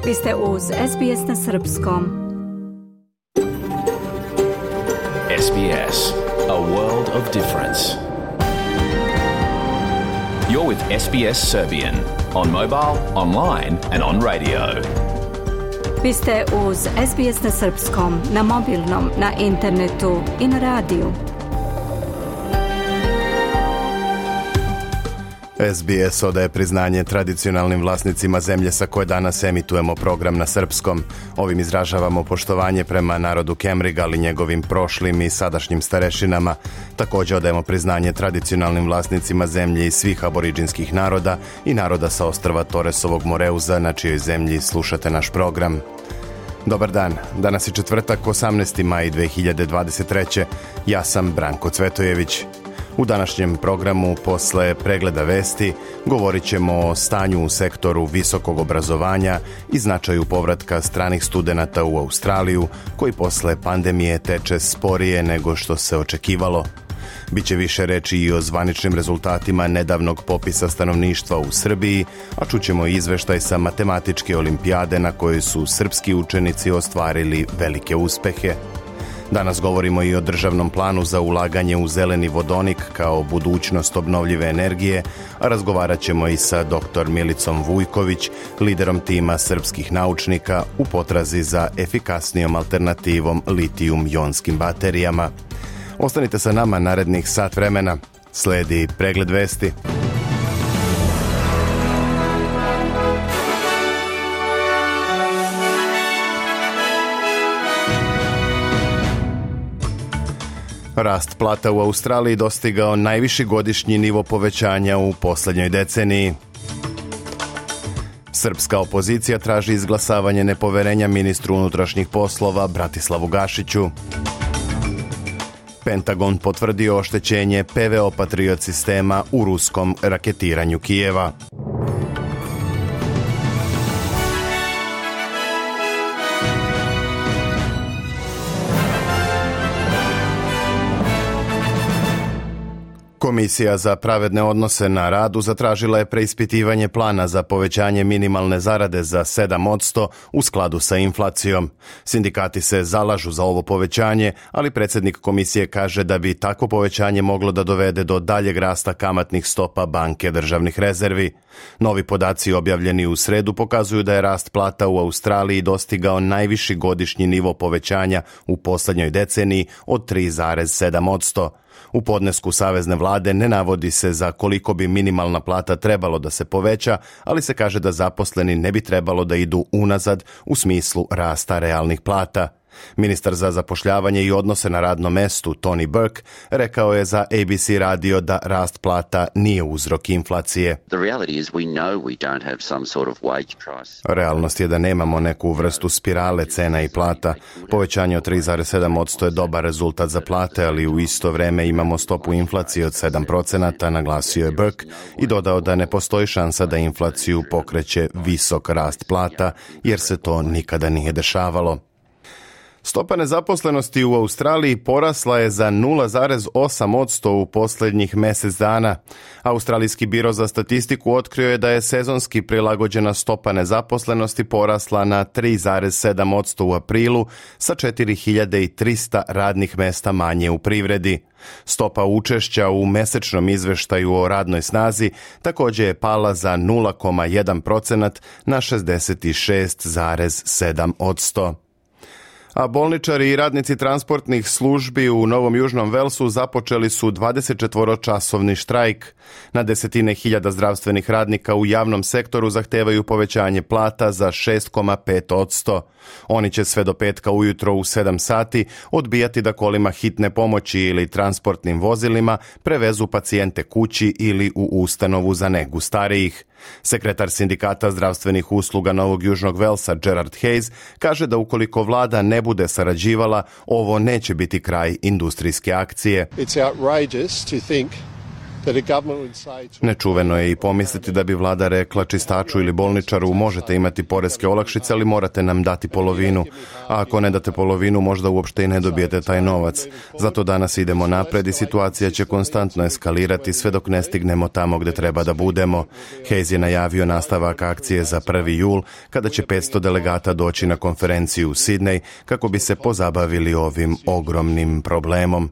Vi ste uz SBS na srpskom. SBS, a world of difference. You're with SBS Serbian on mobile, online and on radio. Vi ste uz SBS na srpskom, na mobilnom, na internetu i na radiju. SBS odaje priznanje tradicionalnim vlasnicima zemlje sa koje danas emitujemo program na srpskom. Ovim izražavamo poštovanje prema narodu Kemrigal i njegovim prošlim i sadašnjim starešinama. Također odajemo priznanje tradicionalnim vlasnicima zemlje i svih aboriđinskih naroda i naroda sa ostrva Toresovog Moreuza, na čijoj zemlji slušate naš program. Dobar dan, danas je četvrtak, 18. maj 2023. Ja sam Branko Cvetojević. U današnjem programu, posle pregleda vesti, govorit ćemo o stanju u sektoru visokog obrazovanja i značaju povratka stranih studenata u Australiju, koji posle pandemije teče sporije nego što se očekivalo. Biće više reči i o zvaničnim rezultatima nedavnog popisa stanovništva u Srbiji, a čućemo izveštaj sa matematičke olimpijade na kojoj su srpski učenici ostvarili velike uspehe. Danas govorimo i o državnom planu za ulaganje u zeleni vodonik kao budućnost obnovljive energije, a razgovarat ćemo i sa dr. Milicom Vujković, liderom tima srpskih naučnika u potrazi za efikasnijom alternativom litijum-jonskim baterijama. Ostanite sa nama narednih sat vremena. Sledi pregled vesti. Rast plata u Australiji dostigao najviši godišnji nivo povećanja u posljednjoj deceniji. Srpska opozicija traži izglasavanje nepoverenja ministru unutrašnjih poslova Bratislavu Gašiću. Pentagon potvrdio oštećenje PVO Patriot sistema u ruskom raketiranju Kijeva. Komisija za pravedne odnose na radu zatražila je preispitivanje plana za povećanje minimalne zarade za 7% u skladu sa inflacijom. Sindikati se zalažu za ovo povećanje, ali predsjednik komisije kaže da bi takvo povećanje moglo da dovede do daljeg rasta kamatnih stopa banke državnih rezervi. Novi podaci objavljeni u sredu pokazuju da je rast plata u Australiji dostigao najviši godišnji nivo povećanja u posljednjoj deceniji od 3,7%. U podnesku savezne vlade ne navodi se za koliko bi minimalna plata trebalo da se poveća, ali se kaže da zaposleni ne bi trebalo da idu unazad u smislu rasta realnih plata. Ministar za zapošljavanje i odnose na radnom mestu Tony Burke rekao je za ABC radio da rast plata nije uzrok inflacije. Realnost je da nemamo neku vrstu spirale cena i plata. Povećanje od 3,7% je dobar rezultat za plate, ali u isto vreme imamo stopu inflacije od 7%, naglasio je Burke i dodao da ne postoji šansa da inflaciju pokreće visok rast plata, jer se to nikada nije dešavalo. Stopa nezaposlenosti u Australiji porasla je za 0,8% u posljednjih mjesec dana. Australijski biro za statistiku otkrio je da je sezonski prilagođena stopa nezaposlenosti porasla na 3,7% u aprilu sa 4.300 radnih mjesta manje u privredi. Stopa učešća u mesečnom izveštaju o radnoj snazi također je pala za 0,1% na 66,7%. A bolničari i radnici transportnih službi u Novom Južnom Velsu započeli su 24-časovni štrajk. Na desetine hiljada zdravstvenih radnika u javnom sektoru zahtevaju povećanje plata za 6,5%. Oni će sve do petka ujutro u 7 sati odbijati da kolima hitne pomoći ili transportnim vozilima prevezu pacijente kući ili u ustanovu za negu starijih. Sekretar sindikata zdravstvenih usluga Novog Južnog Velsa Gerard Hayes kaže da ukoliko vlada ne bude sarađivala, ovo neće biti kraj industrijske akcije. It's outrageous to think Nečuveno je i pomisliti da bi vlada rekla čistaču ili bolničaru možete imati poreske olakšice, ali morate nam dati polovinu. A ako ne date polovinu, možda uopšte i ne dobijete taj novac. Zato danas idemo napred i situacija će konstantno eskalirati sve dok ne stignemo tamo gde treba da budemo. Hayes je najavio nastavak akcije za 1. jul, kada će 500 delegata doći na konferenciju u Sidnej kako bi se pozabavili ovim ogromnim problemom.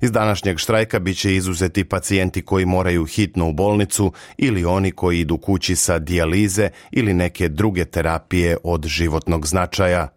Iz današnjeg štrajka bit će izuzeti pacijenti koji moraju hitno u bolnicu ili oni koji idu kući sa dijalize ili neke druge terapije od životnog značaja.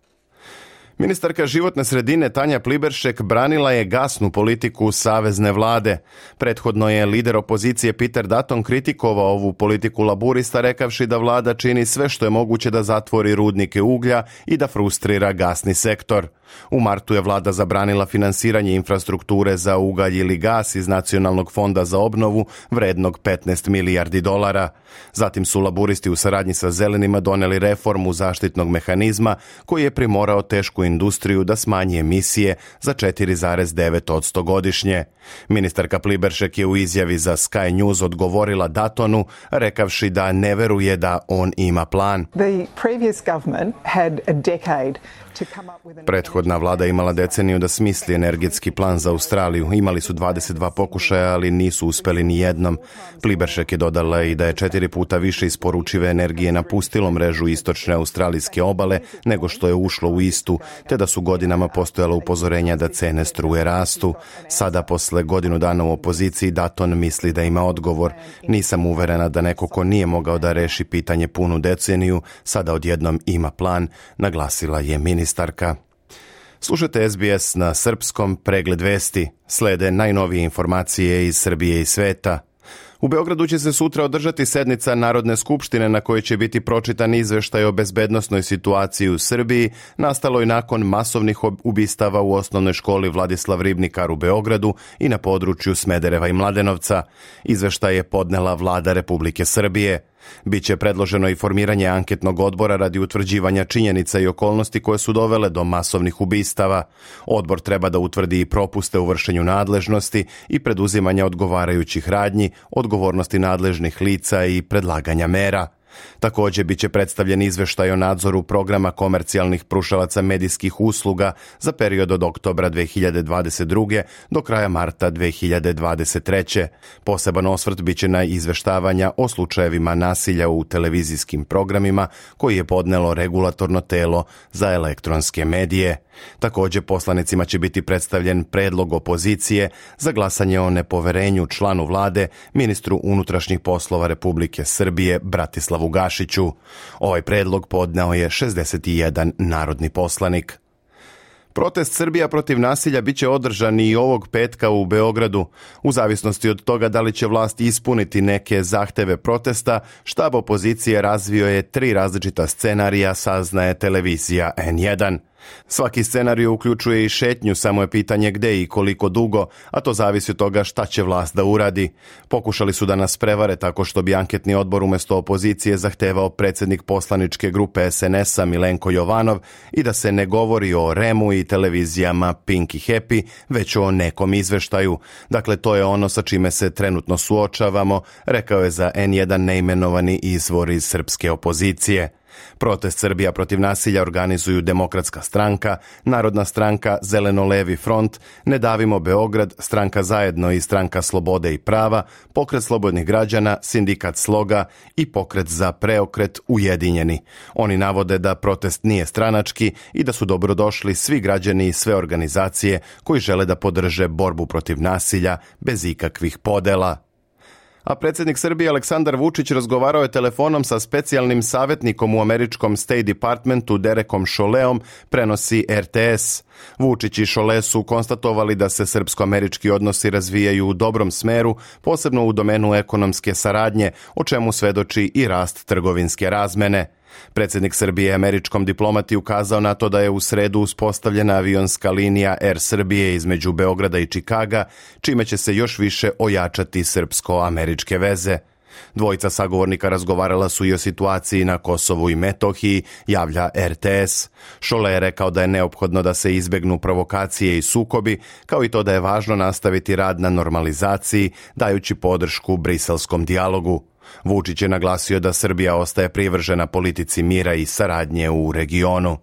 Ministarka životne sredine Tanja Pliberšek branila je gasnu politiku savezne vlade. Prethodno je lider opozicije Peter Dutton kritikovao ovu politiku laburista rekavši da vlada čini sve što je moguće da zatvori rudnike uglja i da frustrira gasni sektor. U martu je vlada zabranila finansiranje infrastrukture za ugalj ili gas iz Nacionalnog fonda za obnovu vrednog $15 milijardi. Zatim su laburisti u saradnji sa zelenima doneli reformu zaštitnog mehanizma koji je primorao tešku industriju da smanji emisije za 4,9% godišnje. Ministarka Pliberšek je u izjavi za Sky News odgovorila Duttonu rekavši da ne veruje da on ima plan. Prethodna vlada imala deceniju da smisli energetski plan za Australiju. Imali su 22 pokušaja, ali nisu uspeli ni jednom. Pliberšek je dodala i da je 4 puta više isporučive energije napustilo mrežu istočne australijske obale nego što je ušlo u istu, te da su godinama postojala upozorenja da cene struje rastu. Sada, posle godinu dana u opoziciji, Dutton misli da ima odgovor. Nisam uverena da neko ko nije mogao da reši pitanje punu deceniju, sada odjednom ima plan, naglasila je ministarka. Slušajte SBS na srpskom, pregled vesti. Slede najnovije informacije iz Srbije i sveta. U Beogradu će se sutra održati sednica Narodne skupštine na kojoj će biti pročitan izveštaj o bezbednosnoj situaciji u Srbiji, nastaloj nakon masovnih ubistava u osnovnoj školi Vladislav Ribnikar u Beogradu i na području Smedereva i Mladenovca. Izveštaj je podnela vlada Republike Srbije. Biće predloženo i formiranje anketnog odbora radi utvrđivanja činjenica i okolnosti koje su dovele do masovnih ubistava. Odbor treba da utvrdi i propuste u vršenju nadležnosti i preduzimanja odgovarajućih radnji, odgovornosti nadležnih lica i predlaganja mera. Također biće predstavljen izveštaj o nadzoru programa komercijalnih pružalaca medijskih usluga za period od oktobra 2022. do kraja marta 2023. Poseban osvrt biće na izveštavanja o slučajevima nasilja u televizijskim programima koji je podnelo regulatorno telo za elektronske medije. Također poslanicima će biti predstavljen predlog opozicije za glasanje o nepoverenju članu vlade, ministru unutrašnjih poslova Republike Srbije Bratislavu Gašiću. Ovaj predlog podneo je 61 narodni poslanik. Protest Srbija protiv nasilja biće održan i ovog petka u Beogradu. U zavisnosti od toga da li će vlast ispuniti neke zahteve protesta, štab opozicije razvio je 3 različita scenarija, saznaje televizija N1. Svaki scenarij uključuje i šetnju, samo je pitanje gde i koliko dugo, a to zavisi od toga šta će vlast da uradi. Pokušali su da nas prevare tako što bi anketni odbor umjesto opozicije zahtevao predsjednik poslaničke grupe SNS-a Milenko Jovanov i da se ne govori o REM-u i televizijama Pink i Happy, već o nekom izveštaju. Dakle, to je ono sa čime se trenutno suočavamo, rekao je za N1 neimenovani izvor iz srpske opozicije. Protest Srbija protiv nasilja organizuju Demokratska stranka, Narodna stranka, Zeleno-levi front, Ne davimo Beograd, Stranka Zajedno i Stranka Slobode i prava, Pokret slobodnih građana, Sindikat Sloga i Pokret za preokret Ujedinjeni. Oni navode da protest nije stranački i da su dobrodošli svi građani i sve organizacije koji žele da podrže borbu protiv nasilja bez ikakvih podela. A predsjednik Srbije Aleksandar Vučić razgovarao je telefonom sa specijalnim savjetnikom u američkom State Departmentu Derekom Šoleom, prenosi RTS. Vučić i Šole su konstatovali da se srpsko-američki odnosi razvijaju u dobrom smeru, posebno u domenu ekonomske saradnje, o čemu svedoči i rast trgovinske razmene. Predsjednik Srbije američkom diplomati ukazao na to da je u sredu uspostavljena avionska linija Air Srbije između Beograda i Čikaga, čime će se još više ojačati srpsko-američke veze. Dvojica sagovornika razgovarala su i o situaciji na Kosovu i Metohiji, javlja RTS. Šole je rekao da je neophodno da se izbegnu provokacije i sukobi, kao i to da je važno nastaviti rad na normalizaciji, dajući podršku briselskom dijalogu. Vučić je naglasio da Srbija ostaje privržena politici mira i saradnje u regionu.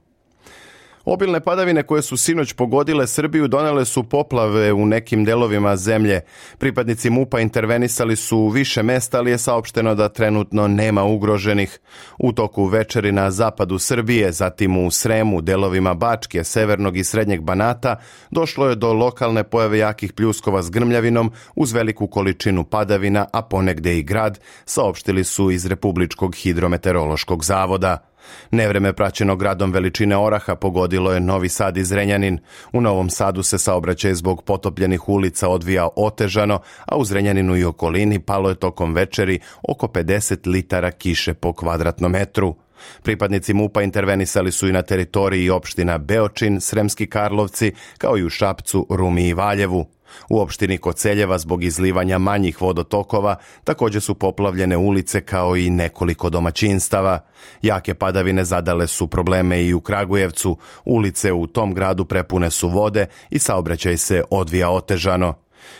Obilne padavine koje su sinoć pogodile Srbiju donele su poplave u nekim delovima zemlje. Pripadnici MUP-a intervenisali su u više mesta, ali je saopšteno da trenutno nema ugroženih. U toku večeri na zapadu Srbije, zatim u Sremu, delovima Bačke, severnog i srednjeg Banata, došlo je do lokalne pojave jakih pljuskova s grmljavinom uz veliku količinu padavina, a ponegde i grad, saopštili su iz Republičkog hidrometeorološkog zavoda. Nevreme praćeno gradom veličine oraha pogodilo je Novi Sad i Zrenjanin. U Novom Sadu se saobraćaj zbog potopljenih ulica odvijao otežano, a u Zrenjaninu i okolini palo je tokom večeri oko 50 litara kiše po kvadratnom metru. Pripadnici MUP-a intervenisali su i na teritoriji opština Beočin, Sremski Karlovci, kao i u Šapcu, Rumi i Valjevu. U opštini Koceljeva zbog izlivanja manjih vodotokova također su poplavljene ulice kao i nekoliko domaćinstava. Jake padavine zadale su probleme i u Kragujevcu. Ulice u tom gradu prepune su vode i saobraćaj se odvija otežano.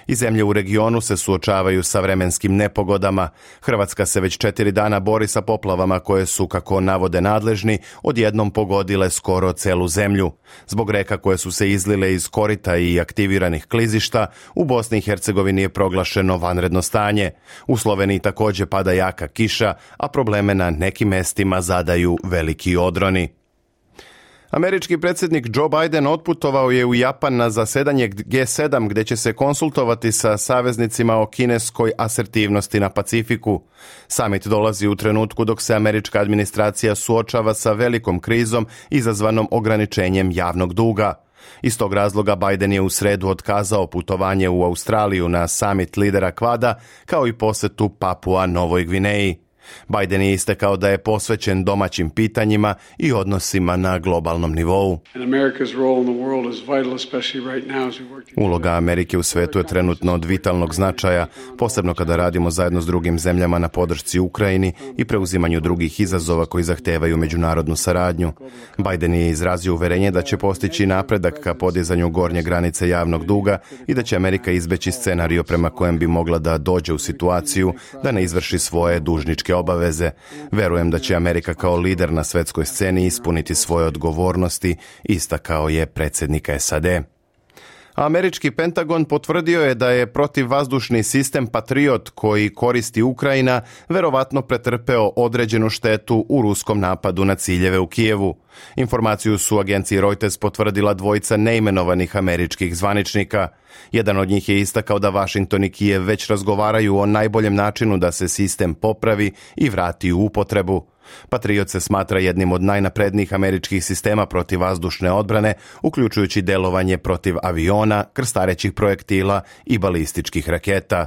I zemlje u regionu se suočavaju sa vremenskim nepogodama. Hrvatska se već 4 dana bori sa poplavama koje su, kako navode nadležni, odjednom pogodile skoro celu zemlju. Zbog reka koje su se izlile iz korita i aktiviranih klizišta, u Bosni i Hercegovini je proglašeno vanredno stanje. U Sloveniji također pada jaka kiša, a probleme na nekim mestima zadaju veliki odroni. Američki predsjednik Joe Biden otputovao je u Japan na zasedanje G7 gdje će se konsultovati sa saveznicima o kineskoj asertivnosti na Pacifiku. Summit dolazi u trenutku dok se američka administracija suočava sa velikom krizom izazvanom ograničenjem javnog duga. Iz tog razloga Biden je u sredu otkazao putovanje u Australiju na summit lidera Kvada, kao i posetu Papua Novoj Gvineji. Biden je istakao da je posvećen domaćim pitanjima i odnosima na globalnom nivou. Uloga Amerike u svetu je trenutno od vitalnog značaja, posebno kada radimo zajedno s drugim zemljama na podršci Ukrajini i preuzimanju drugih izazova koji zahtevaju međunarodnu saradnju. Biden je izrazio uverenje da će postići napredak ka podizanju gornje granice javnog duga i da će Amerika izbeći scenario prema kojem bi mogla da dođe u situaciju da ne izvrši svoje dužničke obaveze. Verujem da će Amerika kao lider na svetskoj sceni ispuniti svoje odgovornosti, istakao je predsjednik SAD. Američki Pentagon potvrdio je da je protivvazdušni sistem Patriot koji koristi Ukrajina verovatno pretrpeo određenu štetu u ruskom napadu na ciljeve u Kijevu. Informaciju su agenciji Reuters potvrdila dvojica neimenovanih američkih zvaničnika. Jedan od njih je istakao da Washington i Kijev već razgovaraju o najboljem načinu da se sistem popravi i vrati u upotrebu. Patriot se smatra jednim od najnaprednijih američkih sistema protivvazdušne odbrane, uključujući delovanje protiv aviona, krstarećih projektila i balističkih raketa.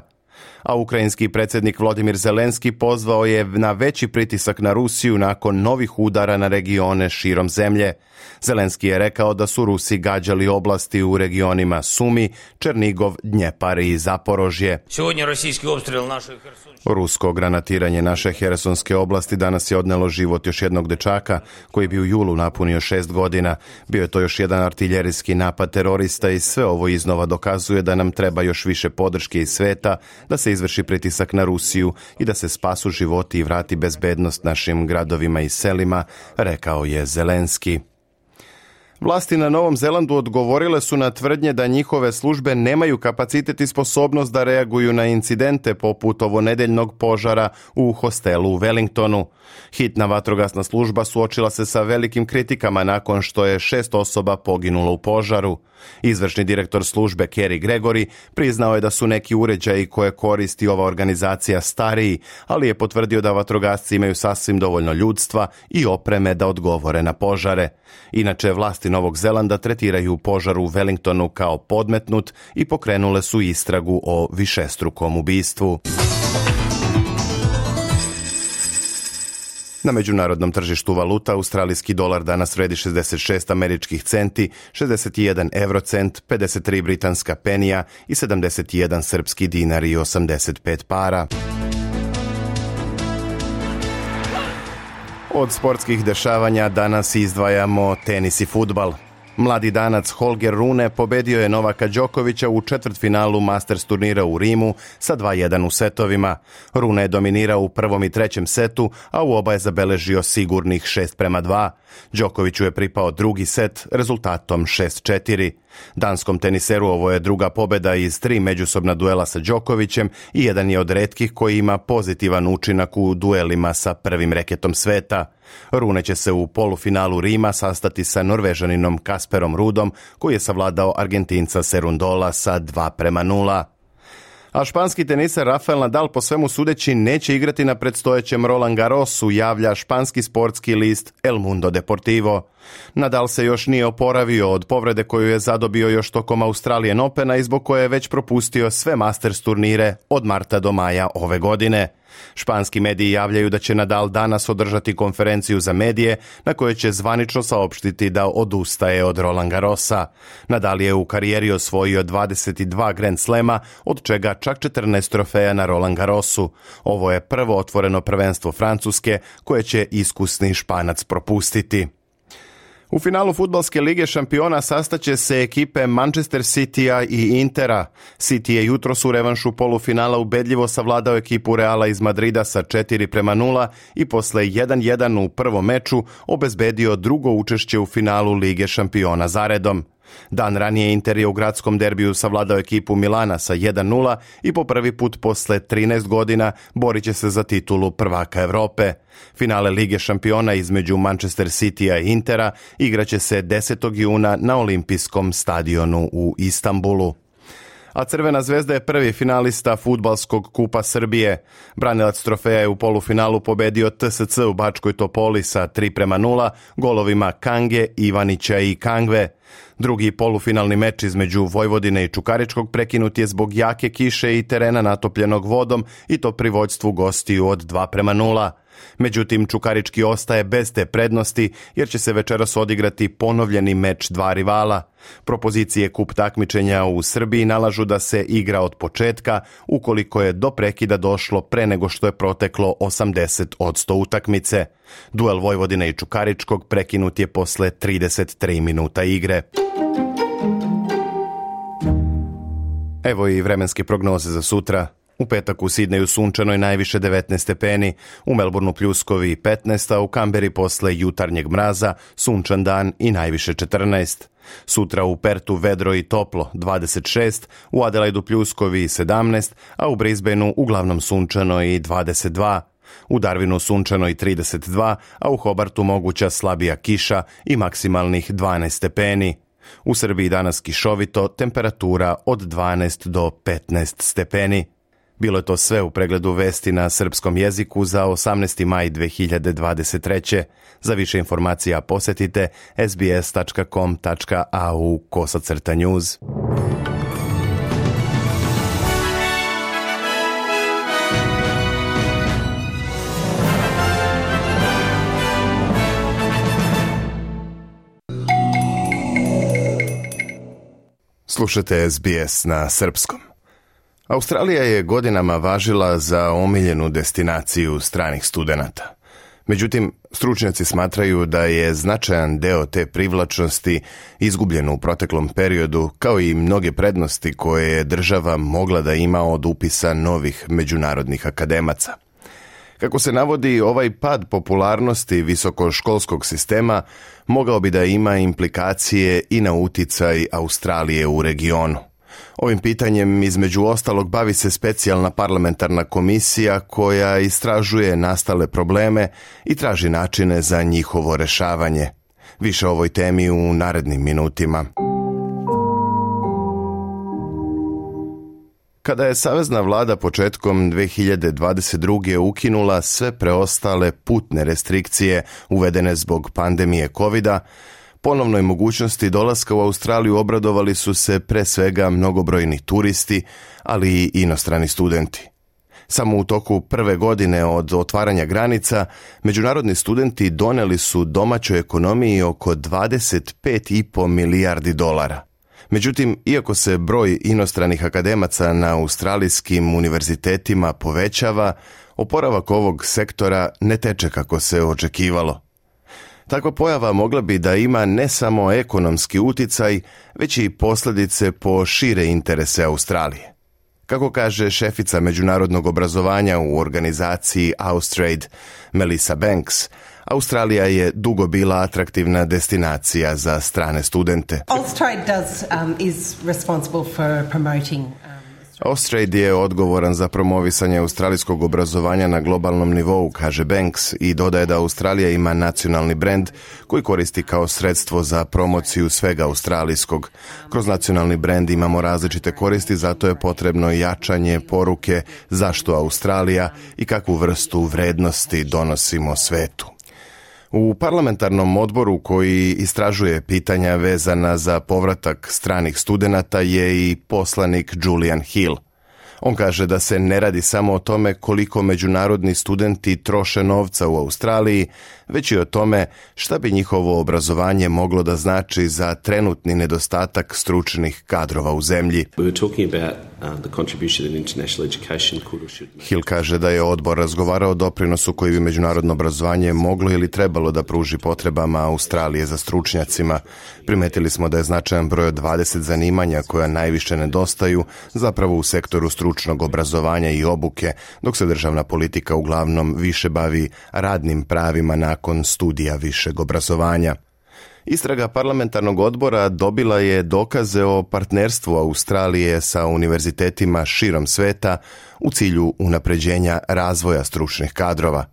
A ukrajinski predsjednik Volodymyr Zelenski pozvao je na veći pritisak na Rusiju nakon novih udara na regione širom zemlje. Zelenski je rekao da su Rusi gađali oblasti u regionima Sumi, Černigov, Dnjepar i Zaporožje. Rusko granatiranje naše Hersonske oblasti danas je odnelo život još jednog dečaka koji bi u julu napunio 6 godina. Bio je to još jedan artiljerijski napad terorista i sve ovo iznova dokazuje da nam treba još više podrške iz sveta, da se izvrši pritisak na Rusiju i da se spasu životi i vrati bezbednost našim gradovima i selima, rekao je Zelenski. Vlasti na Novom Zelandu odgovorile su na tvrdnje da njihove službe nemaju kapacitet i sposobnost da reaguju na incidente poput ovonedeljnog požara u hostelu u Wellingtonu. Hitna vatrogasna služba suočila se sa velikim kritikama nakon što je 6 osoba poginulo u požaru. Izvršni direktor službe Kerry Gregory priznao je da su neki uređaji koje koristi ova organizacija stariji, ali je potvrdio da vatrogasci imaju sasvim dovoljno ljudstva i opreme da odgovore na požare. Inače, vlasti Novog Zelanda tretiraju požar u Wellingtonu kao podmetnut i pokrenule su istragu o višestrukom ubistvu. Na međunarodnom tržištu valuta australijski dolar danas vredi 66 američkih centi, 61 eurocent, 53 britanska penija i 71 srpski dinar i 85 para. Od sportskih dešavanja danas izdvajamo tenis i fudbal. Mladi Danac Holger Rune pobedio je Novaka Đokovića u četvrtfinalu Masters turnira u Rimu sa 2:1 u setovima. Rune je dominirao u prvom i trećem setu, a u oba je zabeležio sigurnih 6:2. Đokoviću je pripao drugi set rezultatom 6:4. Danskom teniseru ovo je druga pobeda iz 3 međusobna duela sa Đokovićem i jedan je od retkih koji ima pozitivan učinak u duelima sa prvim reketom sveta. Rune će se u polufinalu Rima sastati sa Norvežaninom Kasperom Rudom, koji je savladao Argentinca Serundola sa 2:0. A španski teniser Rafael Nadal po svemu sudeći neće igrati na predstojećem Roland Garrosu, javlja španski sportski list El Mundo Deportivo. Nadal se još nije oporavio od povrede koju je zadobio još tokom Australian Opena i zbog koje je već propustio sve Masters turnire od marta do maja ove godine. Španski mediji javljaju da će Nadal danas održati konferenciju za medije na kojoj će zvanično saopštiti da odustaje od Roland Garrosa. Nadal je u karijeri osvojio 22 Grand Slema, od čega čak 14 trofeja na Roland Garrosu. Ovo je prvo otvoreno prvenstvo Francuske koje će iskusni Španac propustiti. U finalu fudbalske lige šampiona sastaće se ekipe Manchester Citya i Intera. City je jutros u revanšu polufinala ubedljivo savladao ekipu Reala iz Madrida sa 4:0 i posle 1:1 u prvom meču obezbedio drugo učešće u finalu Lige šampiona zaredom. Dan ranije Inter je u gradskom derbiju savladao ekipu Milana sa 1:0 i po prvi put posle 13 godina borit će se za titulu prvaka Evrope. Finale Lige šampiona između Manchester Citya i Intera igraće se 10. juna na Olimpijskom stadionu u Istanbulu. A Crvena zvezda je prvi finalista fudbalskog kupa Srbije. Branilac trofeja je u polufinalu pobedio TSC u Bačkoj Topoli sa 3:0 golovima Kange, Ivanića i Kangve. Drugi polufinalni meč između Vojvodine i Čukaričkog prekinut je zbog jake kiše i terena natopljenog vodom i to pri vođstvu gostiju od 2:0. Međutim, Čukarički ostaje bez te prednosti jer će se večeras odigrati ponovljeni meč dva rivala. Propozicije kup takmičenja u Srbiji nalažu da se igra od početka ukoliko je do prekida došlo pre nego što je proteklo 80% utakmice. Duel Vojvodine i Čukaričkog prekinut je posle 33 minuta igre. Evo i vremenske prognoze za sutra. U petak u Sidneju sunčano i najviše 19 stepeni, u Melbourneu pljuskovi 15, a u Kamberi posle jutarnjeg mraza sunčan dan i najviše 14. Sutra u Pertu vedro i toplo 26, u Adelaidu pljuskovi 17, a u Brisbaneu uglavnom sunčano i 22. U Darwinu sunčano i 32, a u Hobartu moguća slabija kiša i maksimalnih 12 stepeni. U Srbiji danas kišovito, temperatura od 12 do 15 stepeni. Bilo je to sve u pregledu vesti na srpskom jeziku za 18. maj 2023. Za više informacija posetite sbs.com.au/news. Slušate SBS na srpskom. Australija je godinama važila za omiljenu destinaciju stranih studenata. Međutim, stručnjaci smatraju da je značajan deo te privlačnosti izgubljen u proteklom periodu, kao i mnoge prednosti koje je država mogla da ima od upisa novih međunarodnih akademaca. Kako se navodi, ovaj pad popularnosti visokoškolskog sistema mogao bi da ima implikacije i na uticaj Australije u regionu. Ovim pitanjem između ostalog bavi se specijalna parlamentarna komisija koja istražuje nastale probleme i traži načine za njihovo rešavanje. Više o ovoj temi u narednim minutima. Kada je savezna vlada početkom 2022. ukinula sve preostale putne restrikcije uvedene zbog pandemije COVID-a, ponovnoj mogućnosti dolaska u Australiju obradovali su se pre svega mnogobrojni turisti, ali i inostrani studenti. Samo u toku prve godine od otvaranja granica, međunarodni studenti doneli su domaćoj ekonomiji oko $25,5 milijardi. Međutim, iako se broj inostranih akademaca na australijskim univerzitetima povećava, oporavak ovog sektora ne teče kako se očekivalo. Takva pojava mogla bi da ima ne samo ekonomski uticaj, već i posljedice po šire interese Australije. Kako kaže šefica međunarodnog obrazovanja u organizaciji Austrade, Melissa Banks, Australija je dugo bila atraktivna destinacija za strane studente. Austrade je odgovoran za promovisanje australijskog obrazovanja na globalnom nivou, kaže Banks, i dodaje da Australija ima nacionalni brend koji koristi kao sredstvo za promociju svega australijskog. Kroz nacionalni brend imamo različite koristi, zato je potrebno jačanje poruke zašto Australija i kakvu vrstu vrednosti donosimo svetu. U parlamentarnom odboru koji istražuje pitanja vezana za povratak stranih studenata je i poslanik Julian Hill. On kaže da se ne radi samo o tome koliko međunarodni studenti troše novca u Australiji, već i o tome šta bi njihovo obrazovanje moglo da znači za trenutni nedostatak stručnih kadrova u zemlji. Hill kaže da je odbor razgovarao o doprinosu koji bi međunarodno obrazovanje moglo ili trebalo da pruži potrebama Australije za stručnjacima. Primetili smo da je značajan broj od 20 zanimanja koja najviše nedostaju zapravo u sektoru stručnog obrazovanja i obuke, dok se državna politika uglavnom više bavi radnim pravima nakon studija višeg obrazovanja. Istraga parlamentarnog odbora dobila je dokaze o partnerstvu Australije sa univerzitetima širom sveta u cilju unapređenja razvoja stručnih kadrova.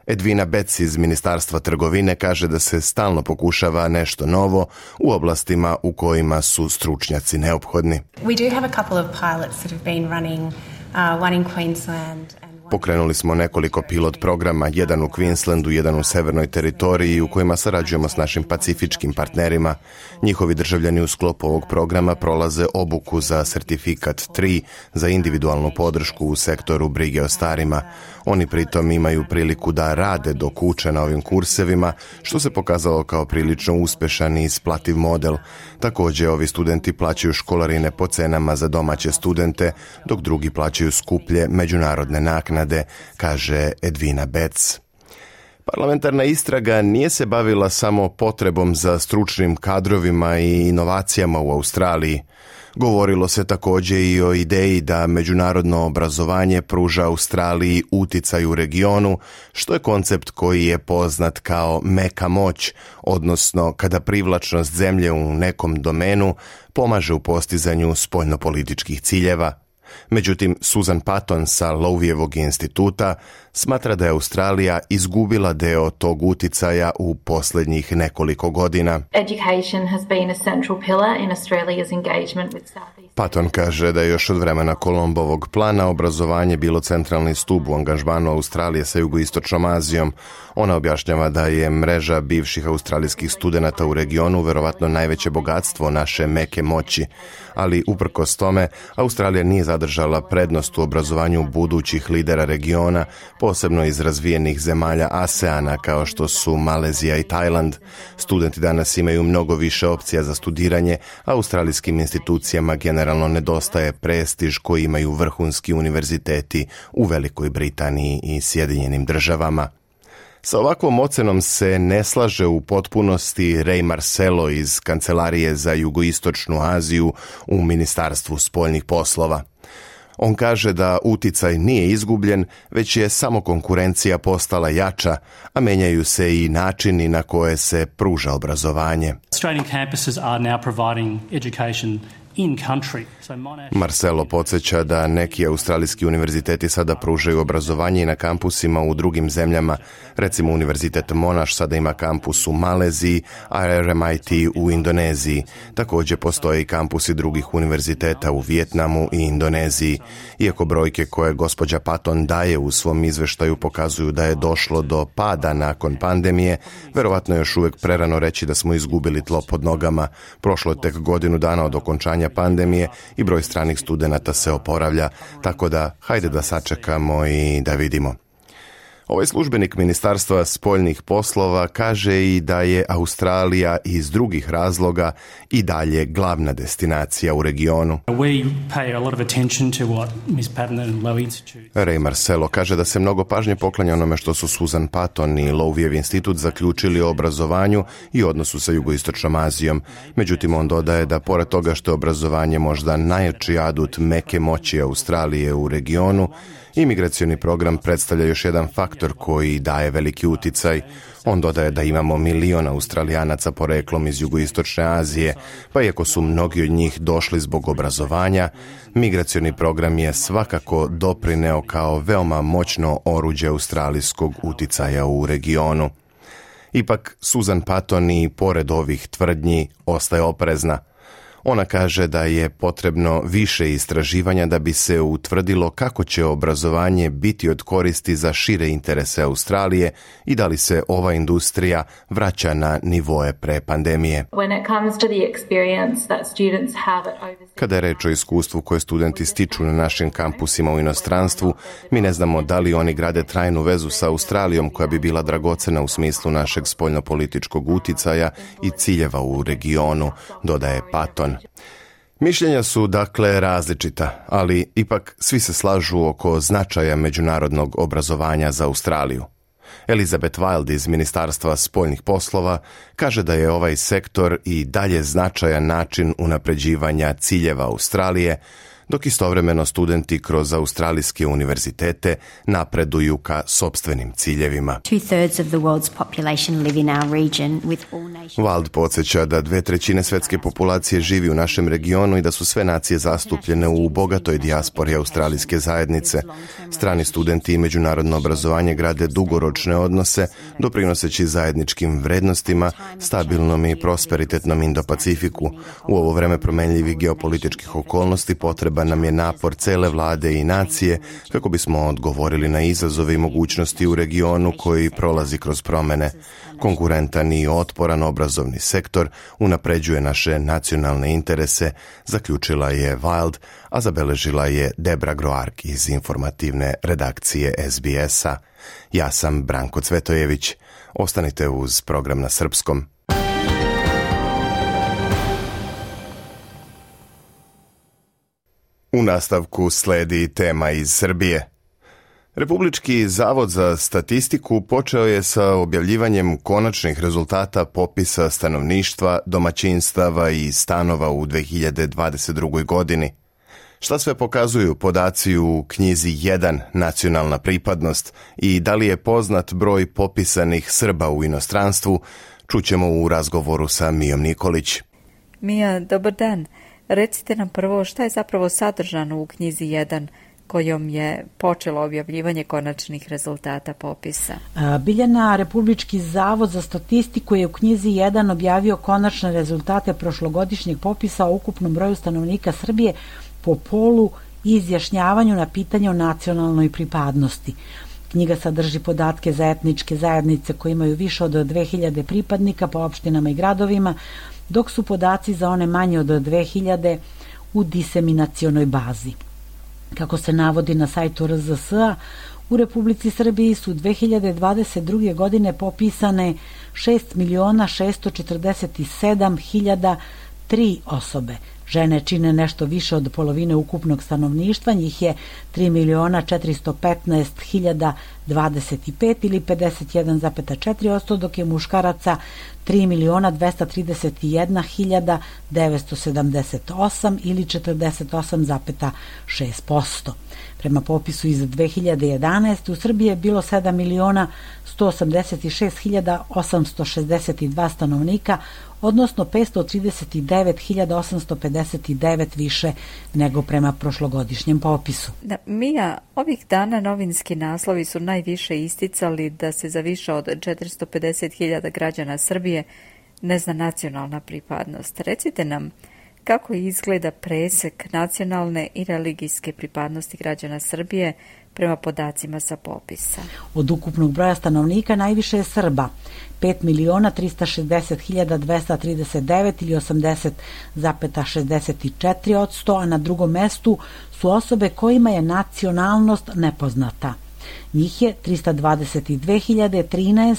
Edwina Betts iz Ministarstva trgovine kaže da se stalno pokušava nešto novo u oblastima u kojima su stručnjaci neophodni. We do have a couple of pilots that have been running, one in Queensland. Pokrenuli smo nekoliko pilot programa, jedan u Queenslandu, jedan u Severnoj teritoriji, u kojima sarađujemo s našim pacifičkim partnerima. Njihovi državljani u sklopu ovog programa prolaze obuku za certifikat 3 za individualnu podršku u sektoru brige o starima. Oni pritom imaju priliku da rade dok uče na ovim kursevima, što se pokazalo kao prilično uspešan i isplativ model. Također, ovi studenti plaćaju školarine po cenama za domaće studente, dok drugi plaćaju skuplje međunarodne naknade, kaže Edwina Betts. Parlamentarna istraga nije se bavila samo potrebom za stručnim kadrovima i inovacijama u Australiji. Govorilo se također i o ideji da međunarodno obrazovanje pruža Australiji uticaj u regionu, što je koncept koji je poznat kao meka moć, odnosno kada privlačnost zemlje u nekom domenu pomaže u postizanju spoljnopolitičkih ciljeva. Međutim, Susan Patton sa Lowijevog instituta smatra da je Australija izgubila deo tog uticaja u posljednjih nekoliko godina. Patton kaže da je još od vremena Kolombovog plana obrazovanje bilo centralni stup u angažmanu Australije sa jugoistočnom Azijom. Ona objašnjava da je mreža bivših australijskih studenata u regionu verovatno najveće bogatstvo naše meke moći, ali uprkos tome Australija nije zadržala prednost u obrazovanju budućih lidera regiona, posebno iz razvijenih zemalja ASEANA kao što su Malezija i Tajland. Studenti danas imaju mnogo više opcija za studiranje, a australijskim institucijama generalno nedostaje prestiž koji imaju vrhunski univerziteti u Velikoj Britaniji i Sjedinjenim Državama. Sa ovakvom ocenom se ne slaže u potpunosti Ray Marcelo iz Kancelarije za jugoistočnu Aziju u Ministarstvu spoljnih poslova. On kaže da uticaj nije izgubljen, već je samo konkurencija postala jača, a menjaju se i načini na koje se pruža obrazovanje. Australian campuses are now providing education in country. Marcelo podsjeća da neki australijski univerziteti sada pružaju obrazovanje i na kampusima u drugim zemljama. Recimo Univerzitet Monash sada ima kampus u Maleziji, a RMIT u Indoneziji. Također postoje i kampusi drugih univerziteta u Vijetnamu i Indoneziji. Iako brojke koje gospođa Patton daje u svom izveštaju pokazuju da je došlo do pada nakon pandemije, verovatno je još uvijek prerano reći da smo izgubili tlo pod nogama. Prošlo je tek godinu dana od okončanja pandemije i broj stranih studenata se oporavlja, tako da hajde da sačekamo i da vidimo. Ovaj službenik Ministarstva spoljnih poslova kaže i da je Australija iz drugih razloga i dalje glavna destinacija u regionu. Ray Marcelo kaže da se mnogo pažnje poklanja onome što su Susan Patton i Lovijev institut zaključili o obrazovanju i odnosu sa jugoistočnom Azijom. Međutim, on dodaje da pored toga što je obrazovanje možda najjači adut meke moći Australije u regionu, imigracioni program predstavlja još jedan faktor koji daje veliki uticaj. On dodaje da imamo milion Australijanaca poreklom iz jugoistočne Azije, pa iako su mnogi od njih došli zbog obrazovanja, migracioni program je svakako doprineo kao veoma moćno oruđe australijskog uticaja u regionu. Ipak, Susan Patton i pored ovih tvrdnji ostaje oprezna. Ona kaže da je potrebno više istraživanja da bi se utvrdilo kako će obrazovanje biti od koristi za šire interese Australije i da li se ova industrija vraća na nivoe pre pandemije. Kada je reč o iskustvu koje studenti stiču na našim kampusima u inostranstvu, mi ne znamo da li oni grade trajnu vezu sa Australijom koja bi bila dragocena u smislu našeg spoljnopolitičkog uticaja i ciljeva u regionu, dodaje Patton. Mišljenja su dakle različita, ali ipak svi se slažu oko značaja međunarodnog obrazovanja za Australiju. Elizabeth Wild iz Ministarstva spoljnih poslova kaže da je ovaj sektor i dalje značajan način unapređivanja ciljeva Australije, dok istovremeno studenti kroz australijske univerzitete napreduju ka sopstvenim ciljevima. Wild podsjeća da 2/3 svetske populacije živi u našem regionu i da su sve nacije zastupljene u bogatoj dijaspori australijske zajednice. Strani studenti i međunarodno obrazovanje grade dugoročne odnose, doprinoseći zajedničkim vrednostima, stabilnom i prosperitetnom Indo-Pacifiku. U ovo vreme promenljivih geopolitičkih okolnosti potreban nam je napor cele vlade i nacije kako bismo odgovorili na izazove i mogućnosti u regionu koji prolazi kroz promene. Konkurentan i otporan obrazovni sektor unapređuje naše nacionalne interese, zaključila je Wild, a zabeležila je Debra Groark iz informativne redakcije SBS-a. Ja sam Branko Cvetojević. Ostanite uz program na srpskom. U nastavku sledi tema iz Srbije. Republički zavod za statistiku počeo je sa objavljivanjem konačnih rezultata popisa stanovništva, domaćinstava i stanova u 2022. godini. Šta sve pokazuju podaci u knjizi 1 nacionalna pripadnost i da li je poznat broj popisanih Srba u inostranstvu, čućemo u razgovoru sa Mijom Nikolić. Mija, dobar dan. Recite nam prvo šta je zapravo sadržano u knjizi 1 kojom je počelo objavljivanje konačnih rezultata popisa. Biljana, Republički zavod za statistiku je u knjizi 1 objavio konačne rezultate prošlogodišnjeg popisa o ukupnom broju stanovnika Srbije po polu i izjašnjavanju na pitanje o nacionalnoj pripadnosti. Knjiga sadrži podatke za etničke zajednice koje imaju više od 2000 pripadnika po opštinama i gradovima, dok su podaci za one manje od 2000 u diseminacionoj bazi. Kako se navodi na sajtu RZS-a, u Republici Srbiji su 2022. godine popisane 6.647.003 osobe. Žene čine nešto više od polovine ukupnog stanovništva, njih je 3.415.025 ili 51,4%, dok je muškaraca 3.231.978 ili 48,6%. Prema popisu iz 2011. u Srbiji je bilo 7.186.862 stanovnika, odnosno 539.859 više nego prema prošlogodišnjem popisu. Mija, ovih dana novinski naslovi su najviše isticali da se za više od 450.000 građana Srbije ne zna nacionalna pripadnost. Recite nam, kako izgleda presek nacionalne i religijske pripadnosti građana Srbije prema podacima sa popisa? Od ukupnog broja stanovnika najviše je Srba, 5.360.239 ili 80,64%, a na drugom mestu su osobe kojima je nacionalnost nepoznata. Njih je 322.013,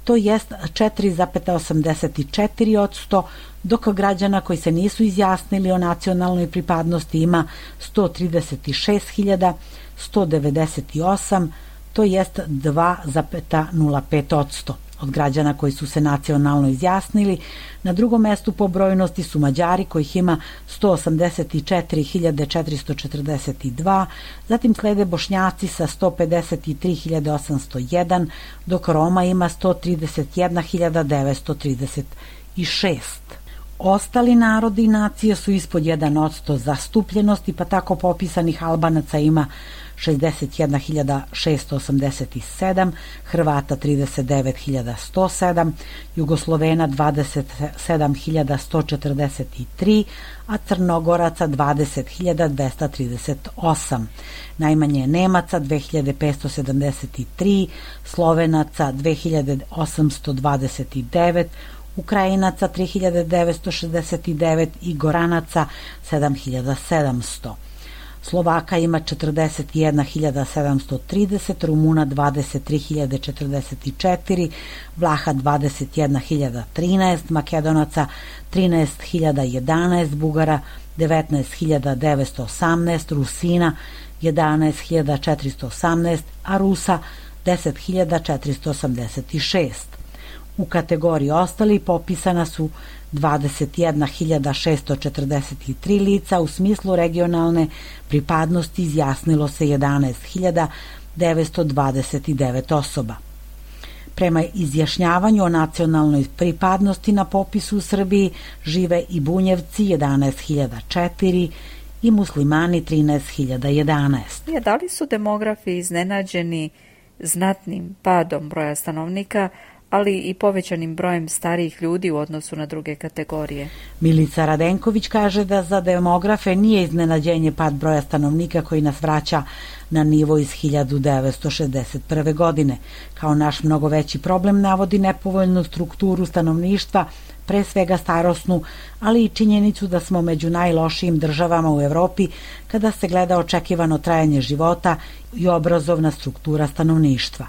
to jest 4,84%, dok građana koji se nisu izjasnili o nacionalnoj pripadnosti ima 136.198, to jest 2,05%. Od građana koji su se nacionalno izjasnili, na drugom mestu po brojnosti su Mađari kojih ima 184.442, zatim slede Bošnjaci sa 153.801, dok Roma ima 131.936. Ostali narodi i nacije su ispod 1% zastupljenosti, pa tako popisanih Albanaca ima 61.687, Hrvata 39.107, Jugoslovena 27.143, a Crnogoraca 20.238. Najmanje je Nemaca 2.573, Slovenaca 2.829, Ukrajinaca 3.969 i Goranaca 7.700. Slovaka ima 41.730, Rumuna 23.044, Vlaha 21.013, Makedonaca 13.011, Bugara 19.918, Rusina 11.418, a Rusa 10.486. U kategoriji ostali popisana su 21.643 lica, u smislu regionalne pripadnosti izjasnilo se 11.929 osoba. Prema izjašnjavanju o nacionalnoj pripadnosti na popisu u Srbiji žive i Bunjevci 11.004 i muslimani 13.011. Da li su demografi iznenađeni znatnim padom broja stanovnika, ali i povećanim brojem starijih ljudi u odnosu na druge kategorije? Milica Radenković kaže da za demografe nije iznenađenje pad broja stanovnika koji nas vraća na nivo iz 1961. godine. Kao naš mnogo veći problem navodi nepovoljnu strukturu stanovništva, pre svega starosnu, ali i činjenicu da smo među najlošijim državama u Evropi kada se gleda očekivano trajanje života i obrazovna struktura stanovništva.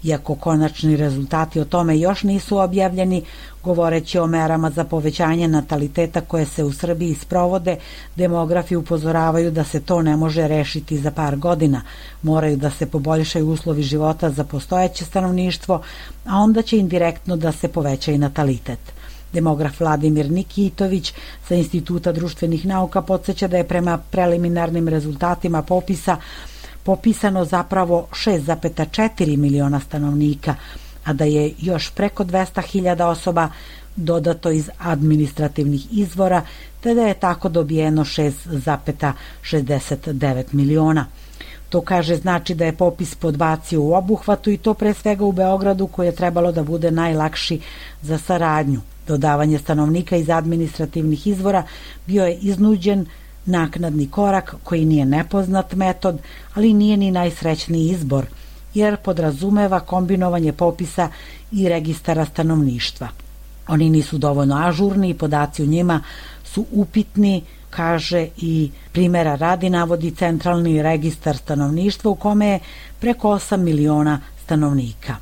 Iako konačni rezultati o tome još nisu objavljeni, govoreći o merama za povećanje nataliteta koje se u Srbiji sprovode, demografi upozoravaju da se to ne može rešiti za par godina. Moraju da se poboljšaju uslovi života za postojeće stanovništvo, a onda će indirektno da se poveća i natalitet. Demograf Vladimir Nikitović sa Instituta društvenih nauka podsjeća da je prema preliminarnim rezultatima popisa popisano zapravo 6,4 miliona stanovnika, a da je još preko 200.000 osoba dodato iz administrativnih izvora, te da je tako dobijeno 6,69 miliona. To kaže znači da je popis podbacio u obuhvatu i to pre svega u Beogradu koji je trebalo da bude najlakši za saradnju. Dodavanje stanovnika iz administrativnih izvora bio je iznuđen naknadni korak koji nije nepoznat metod, ali nije ni najsrećniji izbor, jer podrazumeva kombinovanje popisa i registara stanovništva. Oni nisu dovoljno ažurni i podaci u njima su upitni, kaže i primjera radi navodi centralni registar stanovništva u kome je preko 8 miliona stanovnika.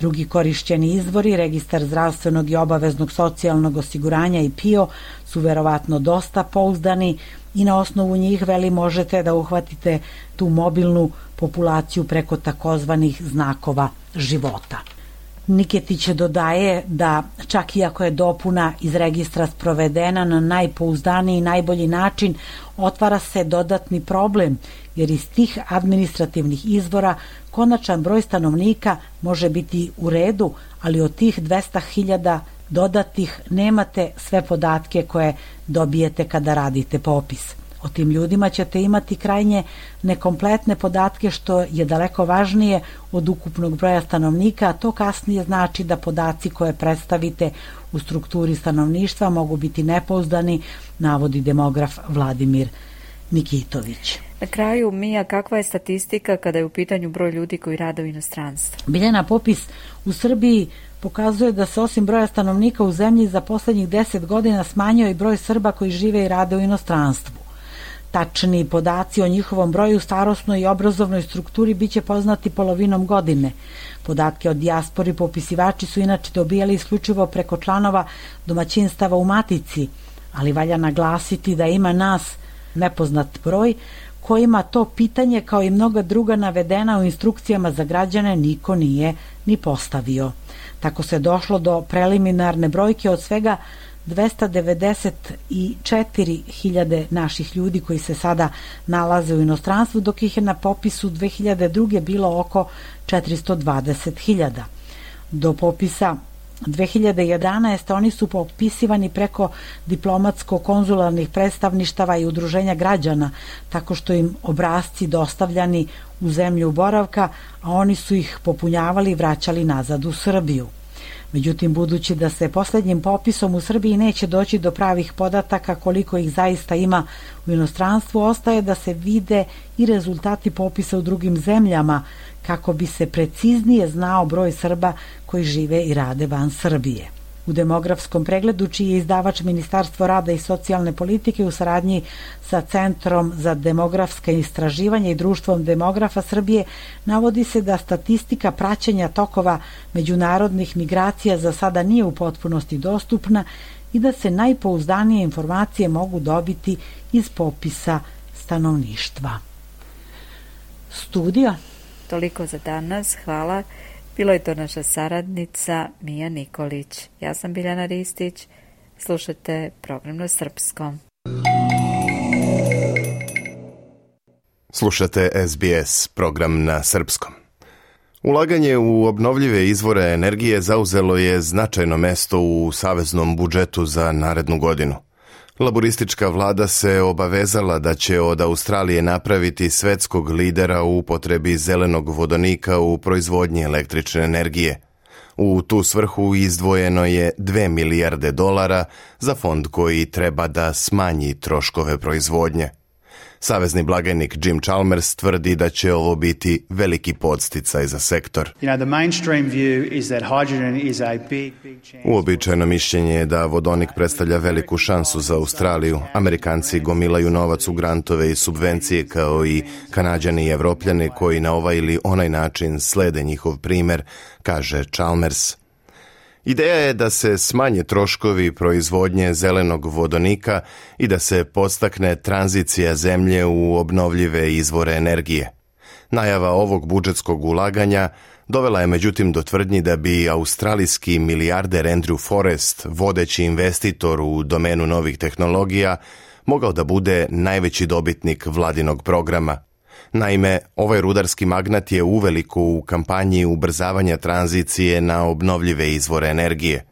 Drugi korišćeni izvori, registar zdravstvenog i obaveznog socijalnog osiguranja i PIO, su verovatno dosta pouzdani i na osnovu njih možete da uhvatite tu mobilnu populaciju preko takozvanih znakova života. Niketić dodaje da čak i ako je dopuna iz registra sprovedena na najpouzdaniji i najbolji način, otvara se dodatni problem, jer iz tih administrativnih izvora konačan broj stanovnika može biti u redu, ali od tih 200.000 dodatih nemate sve podatke koje dobijete kada radite popis. O tim ljudima ćete imati krajnje nekompletne podatke, što je daleko važnije od ukupnog broja stanovnika, a to kasnije znači da podaci koje predstavite u strukturi stanovništva mogu biti nepouzdani, navodi demograf Vladimir Nikitović. Na kraju, Mija, kakva je statistika kada je u pitanju broj ljudi koji rade u inostranstvu? Biljana, popis u Srbiji pokazuje da se osim broja stanovnika u zemlji za poslednjih 10 godina smanjio i broj Srba koji žive i rade u inostranstvu. Tačni podaci o njihovom broju, starosnoj i obrazovnoj strukturi biće poznati polovinom godine. Podatke o dijaspori popisivači su inače dobijali isključivo preko članova domaćinstava u matici, ali valja naglasiti da ima nas nepoznat broj kojima to pitanje, kao i mnoga druga navedena u instrukcijama za građane, niko nije ni postavio. Tako se došlo do preliminarne brojke od svega 294.000 naših ljudi koji se sada nalaze u inostranstvu, dok ih je na popisu 2002. bilo oko 420.000. Do popisa 2011. oni su popisivani preko diplomatsko-konzularnih predstavništava i udruženja građana, tako što im obrasci dostavljani u zemlju boravka, a oni su ih popunjavali i vraćali nazad u Srbiju. Međutim, budući da se posljednjim popisom u Srbiji neće doći do pravih podataka koliko ih zaista ima u inostranstvu, ostaje da se vide i rezultati popisa u drugim zemljama, kako bi se preciznije znao broj Srba koji žive i rade van Srbije. U demografskom pregledu, čiji je izdavač Ministarstvo rada i socijalne politike u saradnji sa Centrom za demografska istraživanja i Društvom demografa Srbije, navodi se da statistika praćenja tokova međunarodnih migracija za sada nije u potpunosti dostupna i da se najpouzdanije informacije mogu dobiti iz popisa stanovništva. Studio. Toliko za danas, hvala. Bilo je to naša saradnica Mija Nikolić. Ja sam Biljana Ristić. Slušajte program na srpskom. Slušate SBS, program na srpskom. Ulaganje u obnovljive izvore energije zauzelo je značajno mesto u saveznom budžetu za narednu godinu. Laboristička vlada se obavezala da će od Australije napraviti svetskog lidera u upotrebi zelenog vodonika u proizvodnji električne energije. U tu svrhu izdvojeno je $2 milijarde za fond koji treba da smanji troškove proizvodnje. Savezni blagajnik Jim Chalmers tvrdi da će ovo biti veliki podsticaj za sektor. Uobičajeno mišljenje je da vodonik predstavlja veliku šansu za Australiju. Amerikanci gomilaju novac u grantove i subvencije, kao i Kanađani i Evropljani koji na ovaj ili onaj način slede njihov primer, kaže Chalmers. Ideja je da se smanje troškovi proizvodnje zelenog vodonika i da se podstakne tranzicija zemlje u obnovljive izvore energije. Najava ovog budžetskog ulaganja dovela je međutim do tvrdnji da bi australijski milijarder Andrew Forrest, vodeći investitor u domenu novih tehnologija, mogao da bude najveći dobitnik vladinog programa. Naime, ovaj rudarski magnat je uveliko u kampanji ubrzavanja tranzicije na obnovljive izvore energije.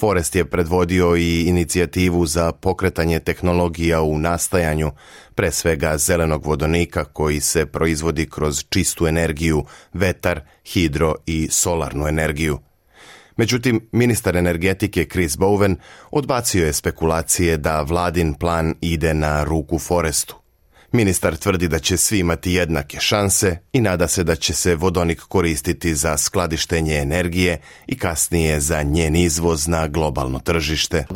Forrest je predvodio i inicijativu za pokretanje tehnologija u nastajanju, pre svega zelenog vodonika koji se proizvodi kroz čistu energiju, vetar, hidro i solarnu energiju. Međutim, ministar energetike Chris Bowen odbacio je spekulacije da vladin plan ide na ruku Forrestu. Ministar tvrdi da će svi imati jednake šanse i nada se da će se vodonik koristiti za skladištenje energije i kasnije za njen izvoz na globalno tržište.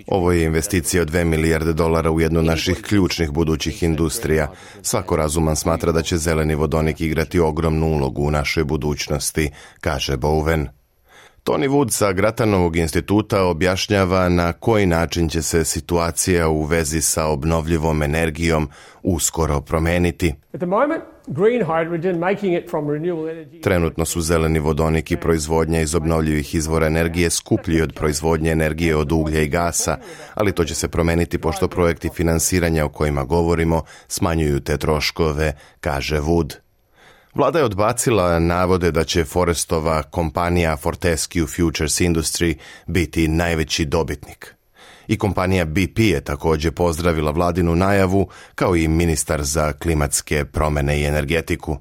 Ovo je investicija od $2 milijarde u jednu od naših ključnih budućih industrija. Svako razuman smatra da će zeleni vodonik igrati ogromnu ulogu u našoj budućnosti, kaže Bowen. Tony Wood sa Gratanovog instituta objašnjava na koji način će se situacija u vezi sa obnovljivom energijom uskoro promeniti. Trenutno su zeleni vodonik i proizvodnja iz obnovljivih izvora energije skuplji od proizvodnje energije od uglja i gasa, ali to će se promeniti pošto projekti finansiranja o kojima govorimo smanjuju te troškove, kaže Wood. Vlada je odbacila navode da će Forrestova kompanija Fortescue Futures Industry biti najveći dobitnik. I kompanija BP je također pozdravila vladinu najavu, kao i ministar za klimatske promjene i energetiku.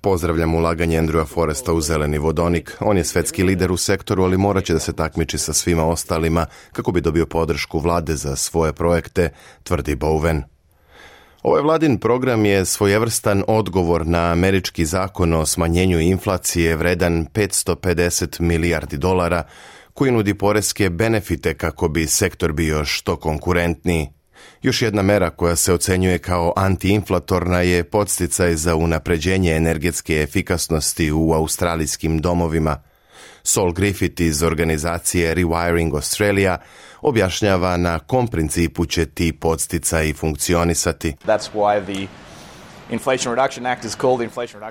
Pozdravljam ulaganje Andrewa Forresta u zeleni vodonik. On je svetski lider u sektoru, ali morat će da se takmiči sa svima ostalima kako bi dobio podršku vlade za svoje projekte, tvrdi Bowen. Ovaj vladin program je svojevrstan odgovor na američki zakon o smanjenju inflacije vredan $550 milijardi, koji nudi poreske benefite kako bi sektor bio što konkurentniji. Još jedna mera koja se ocenjuje kao antiinflatorna je podsticaj za unapređenje energetske efikasnosti u australijskim domovima. Sol Griffith iz organizacije Rewiring Australia objašnjava na kom principu će ti podsticaji funkcionisati.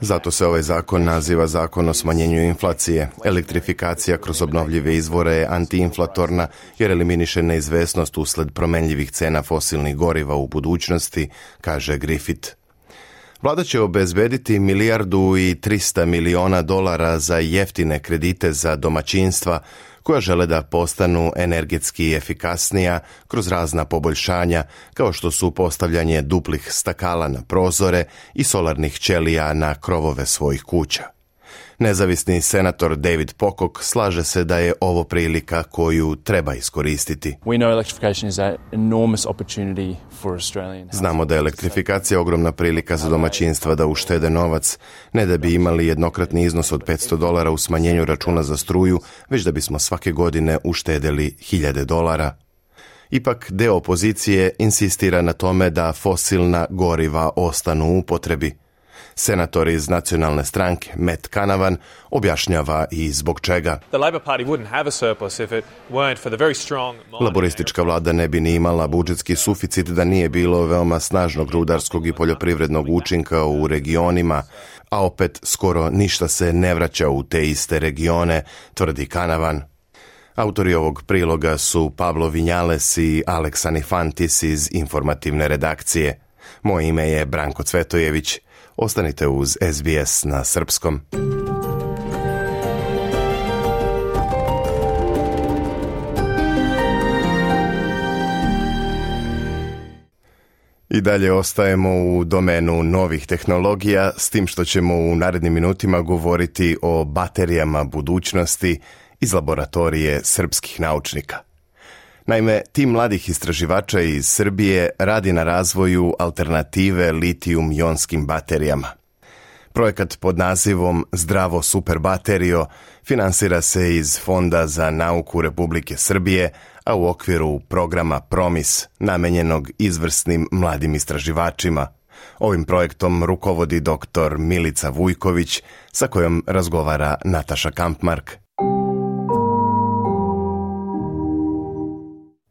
Zato se ovaj zakon naziva Zakon o smanjenju inflacije. Elektrifikacija kroz obnovljive izvore je antiinflatorna jer eliminiše neizvesnost usled promenljivih cena fosilnih goriva u budućnosti, kaže Griffith. Vlada će obezbediti $1,3 milijardi za jeftine kredite za domaćinstva koja žele da postanu energetski efikasnija kroz razna poboljšanja, kao što su postavljanje duplih stakala na prozore i solarnih ćelija na krovove svojih kuća. Nezavisni senator David Pocock slaže se da je ovo prilika koju treba iskoristiti. Znamo da je elektrifikacija ogromna prilika za domaćinstva da uštede novac, ne da bi imali jednokratni iznos od $500 u smanjenju računa za struju, već da bismo svake godine uštedeli $1,000. Ipak deo opozicije insistira na tome da fosilna goriva ostanu u upotrebi. Senator iz nacionalne stranke Matt Canavan objašnjava i zbog čega. Laboristička vlada ne bi ni imala budžetski suficit da nije bilo veoma snažnog rudarskog i poljoprivrednog učinka u regionima, a opet skoro ništa se ne vraća u te iste regione, tvrdi Canavan. Autori ovog priloga su Pablo Vinjales i Alex Anifantis iz informativne redakcije. Moje ime je Branko Cvetojević. Ostanite uz SBS na srpskom. I dalje ostajemo u domenu novih tehnologija, s tim što ćemo u narednim minutima govoriti o baterijama budućnosti iz laboratorije srpskih naučnika. Naime, tim mladih istraživača iz Srbije radi na razvoju alternative litijum-jonskim baterijama. Projekat pod nazivom Zdravo super baterijo finansira se iz Fonda za nauku Republike Srbije, a u okviru programa PROMIS, namenjenog izvrsnim mladim istraživačima. Ovim projektom rukovodi dr. Milica Vujković, sa kojom razgovara Nataša Kampmark.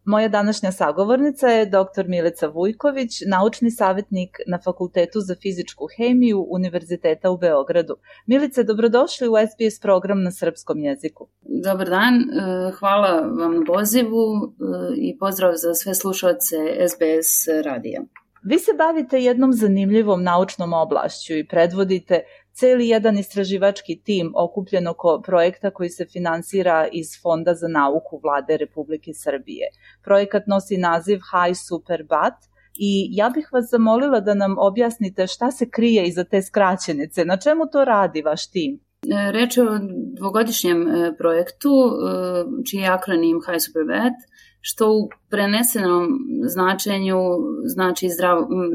Moja današnja sagovornica je dr. Milica Vujković, naučni savjetnik na Fakultetu za fizičku hemiju Univerziteta u Beogradu. Milice, dobrodošli u SBS program na srpskom jeziku. Dobar dan, hvala vam na pozivu i pozdrav za sve slušalce SBS radija. Vi se bavite jednom zanimljivom naučnom oblašću i predvodite celi jedan istraživački tim okupljen oko projekta koji se finansira iz Fonda za nauku Vlade Republike Srbije. Projekat nosi naziv High Super Bat i ja bih vas zamolila da nam objasnite šta se krije iza te skraćenice, na čemu to radi vaš tim? Reč je o dvogodišnjem projektu čiji je akronim High Super Bat, što u prenesenom značenju znači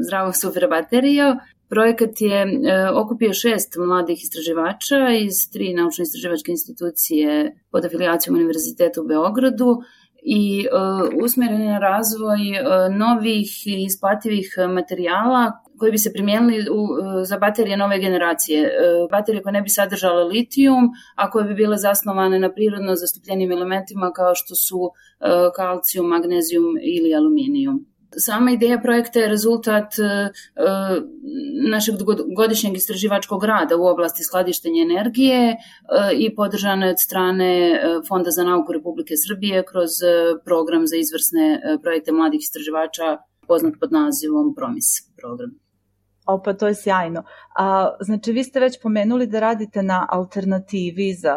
zdravo super baterija. Projekat je okupio 6 mladih istraživača iz 3 naučno-istraživačke institucije pod afilijacijom Univerziteta u Beogradu i usmjeren je na razvoj novih i isplativih materijala koji bi se primijenili za baterije nove generacije. Baterije koje ne bi sadržale litijum, a koje bi bile zasnovane na prirodno zastupljenim elementima kao što su kalcijum, magnezijum ili aluminijum. Sama ideja projekta je rezultat našeg godišnjeg istraživačkog rada u oblasti skladištenja energije i podržana je od strane Fonda za nauku Republike Srbije kroz program za izvrsne projekte mladih istraživača poznat pod nazivom PROMIS program. Pa to je sjajno. Znači, vi ste već pomenuli da radite na alternativi za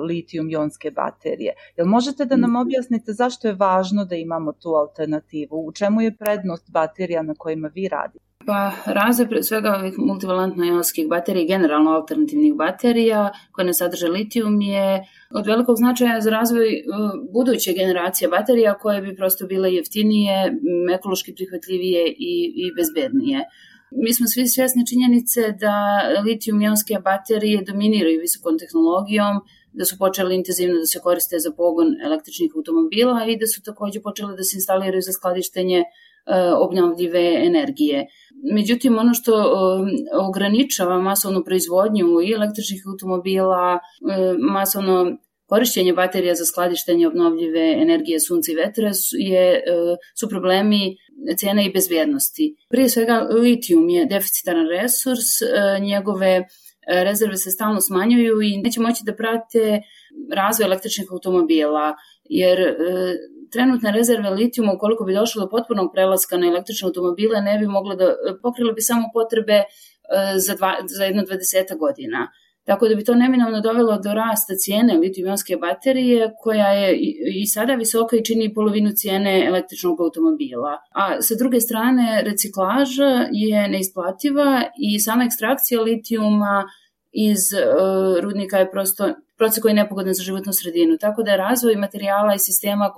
litijum-jonske baterije. Jel možete da nam objasnite zašto je važno da imamo tu alternativu? U čemu je prednost baterija na kojima vi radite? Pa razvoj pre svega ovih multivalentno-jonskih baterija i generalno alternativnih baterija koje ne sadrže litijum je od velikog značaja za razvoj buduće generacije baterija koje bi prosto bile jeftinije, ekološki prihvatljivije i bezbednije. Mi smo svi svjesni činjenice da litijum-jonske baterije dominiraju visokom tehnologijom, da su počeli intenzivno da se koriste za pogon električnih automobila i da su takođe počele da se instaliraju za skladištenje obnovljive energije. Međutim, ono što ograničava masovnu proizvodnju i električnih automobila, masovno korišćenje baterija za skladištenje obnovljive energije sunca i vetra su problemi cene i bezbjednosti. Prije svega, litijum je deficitaran resurs, njegove rezerve se stalno smanjuju i neće moći da prate razvoj električnih automobila, jer trenutne rezerve litijuma, ukoliko bi došlo do potpunog prelaska na električne automobile, ne bi mogle da pokrile bi samo potrebe za jedno 20 godina. Tako da bi to neminovno dovelo do rasta cijene litijum-ionske baterije, koja je i sada visoka i čini polovinu cijene električnog automobila. A sa druge strane, reciklaža je neisplativa i sama ekstrakcija litijuma iz rudnika je prosto proces koji je nepogodan za životnu sredinu. Tako da je razvoj materijala i sistema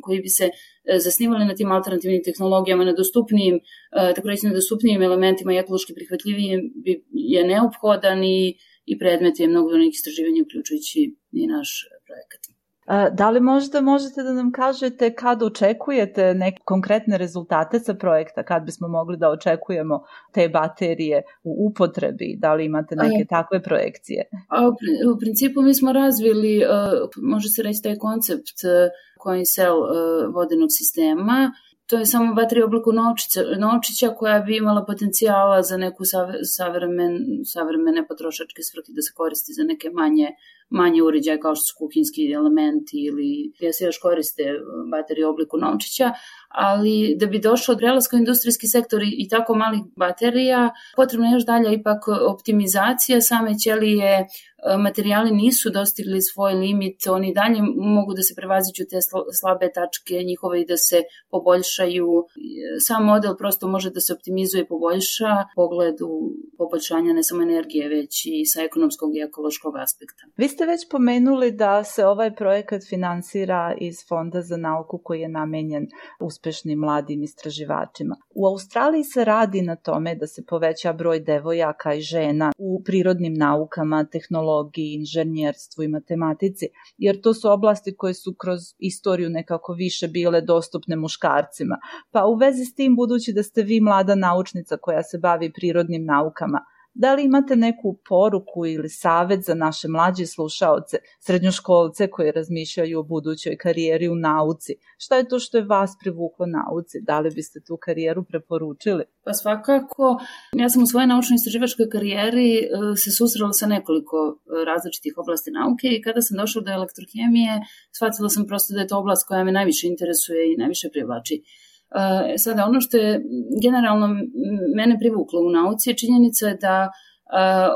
koji bi se zasnivali na tim alternativnim tehnologijama, na dostupnijim, tako reći na dostupnijim elementima i ekološki prihvatljivijim je neophodan i predmet je mnogo nekih istraživanja, uključujući i naš projekat. Da li možda možete da nam kažete kad očekujete neke konkretne rezultate sa projekta, kad bismo mogli da očekujemo te baterije u upotrebi, da li imate neke takve projekcije? U principu mi smo razvili, može se reći, taj koncept coin cell vodenog sistema. To je samo baterija u obliku novčića koja bi imala potencijala za neku savremene potrošačke svrhe, da se koristi za neke manje uređaje kao što su kuhinjski elementi ili gdje se još koriste baterije u obliku novčića, ali da bi došlo od prelaska u industrijski sektor i tako malih baterija, potrebno je još dalje ipak optimizacija same ćelije. Materijali nisu dostigli svoj limit, oni dalje mogu da se prevaziđu te slabe tačke njihove i da se poboljšaju. Sam model prosto može da se optimizuje i poboljša u pogledu poboljšanja ne samo energije, već i sa ekonomskog i ekološkog aspekta. Vi ste već pomenuli da se ovaj projekat finansira iz Fonda za nauku koji je namenjen uspešnim mladim istraživačima. U Australiji se radi na tome da se poveća broj devojaka i žena u prirodnim naukama, tehnologiji, inženjerstvu i matematici, jer to su oblasti koje su kroz istoriju nekako više bile dostupne muškarcima. Pa u vezi s tim, budući da ste vi mlada naučnica koja se bavi prirodnim naukama, da li imate neku poruku ili savet za naše mlađe slušaoce, srednjoškolce koji razmišljaju o budućoj karijeri u nauci? Šta je to što je vas privuklo nauci? Da li biste tu karijeru preporučili? Pa svakako, ja sam u svojoj naučno-istraživačkoj karijeri se susrela sa nekoliko različitih oblasti nauke i kada sam došla do elektrohemije, shvatila sam prosto da je to oblast koja me najviše interesuje i najviše privlači. Sada, ono što je generalno mene privuklo u nauci je činjenica da